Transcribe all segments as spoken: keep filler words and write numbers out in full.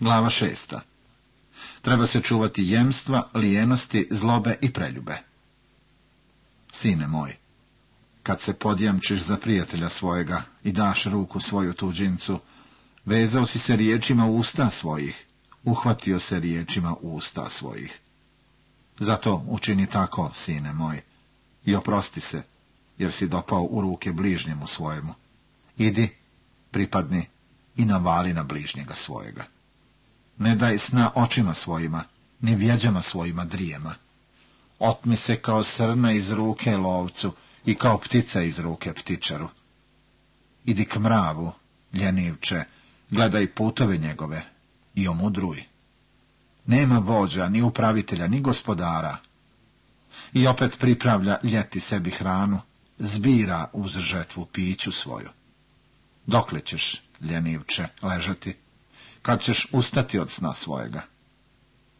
Glava šesta. Treba se čuvati jemstva, lijenosti, zlobe i preljube. Sine moj, kad se podjamčiš za prijatelja svojega i daš ruku svoju tuđincu, vezao si se riječima usta svojih, uhvatio se riječima usta svojih. Zato učini tako, sine moj, i oprosti se, jer si dopao u ruke bližnjemu svojemu. Idi, pripadni i navali na bližnjega svojega. Ne daj sna očima svojima, ni vjeđama svojima drijema. Otmi se kao srna iz ruke lovcu i kao ptica iz ruke ptičaru. Idi k mravu, ljenivče, gledaj putove njegove i omudruj. Nema vođa, ni upravitelja, ni gospodara. I opet pripravlja ljeti sebi hranu, zbira uz žetvu piću svoju. Dokle ćeš, ljenivče, ležati, kad ćeš ustati od sna svojega?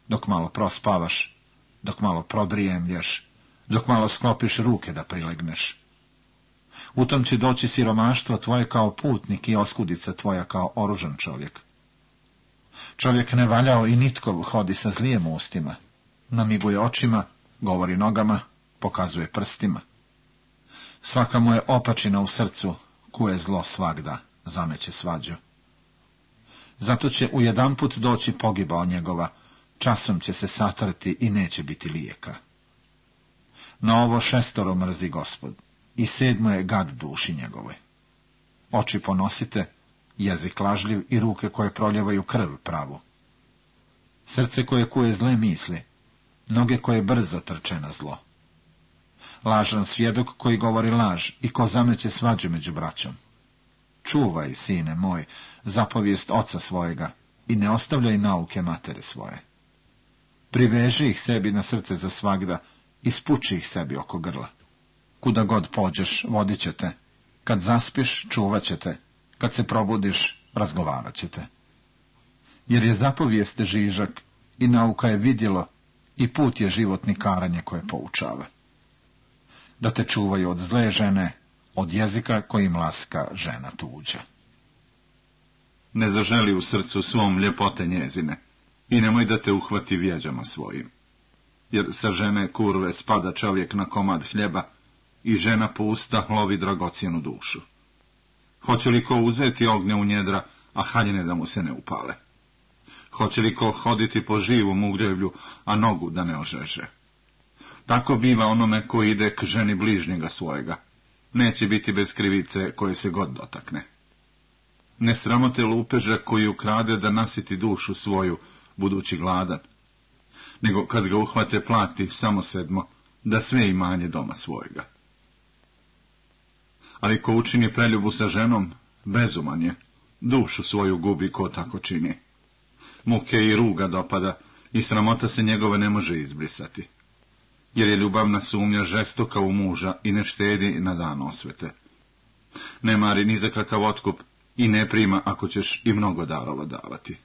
Dok malo prospavaš, dok malo prodrijemlješ, dok malo sklopiš ruke da prilegneš. U tom će doći siromaštvo tvoje kao putnik i oskudica tvoja kao oružan čovjek. Čovjek nevaljao i nitkov hodi sa zlijem ustima, namiguje očima, govori nogama, pokazuje prstima. Svaka mu je opačina u srcu, kuje zlo svagda, zameće svađu. Zato će ujedanput doći pogibao njegova, časom će se satrti i neće biti lijeka. Na ovo šestoro mrzi Gospod, i sedmo je gad duši njegovoj. Oči ponosite, jezik lažljiv i ruke koje proljevaju krv pravu. Srce koje kuje zle misli, noge koje brzo trče na zlo. Lažan svjedok koji govori laž i ko zameće svađu među braćom. Čuvaj, sine moj, zapovijest oca svojega i ne ostavljaj nauke matere svoje. Priveži ih sebi na srce za svagda i spuči ih sebi oko grla. Kuda god pođeš, vodit će te. Kad zaspiš, čuvat će te. Kad se probudiš, razgovarat će te. Jer je zapovijest žižak i nauka je vidjelo i put je životni karanje koje poučava. Da te čuvaju od zle žene, od jezika kojim laska žena tuđa. Ne zaželi u srcu svom ljepote njezine i nemoj da te uhvati vjeđama svojim. Jer sa žene kurve spada čovjek na komad hljeba i žena po usta lovi dragocjenu dušu. Hoće li ko uzeti ognje u njedra, a haljine da mu se ne upale? Hoće li ko hoditi po živom ugljevlju, a nogu da ne ožeže? Tako biva onome ko ide k ženi bližnjega svojega. Neće biti bez krivice koje se god dotakne. Ne sramote lupeža koji ukrade da nasiti dušu svoju, budući gladan, nego kad ga uhvate plati samo sedmo, da sve imanje doma svojega. Ali ko učini preljubu sa ženom, bezuman je, dušu svoju gubi ko tako čini. Muke i ruga dopada i sramota se njegove ne može izbrisati. Jer je ljubavna sumnja žestoka u muža i ne štedi na dan osvete. Ne mari ni za kakav otkup i ne prima ako ćeš i mnogo darova davati.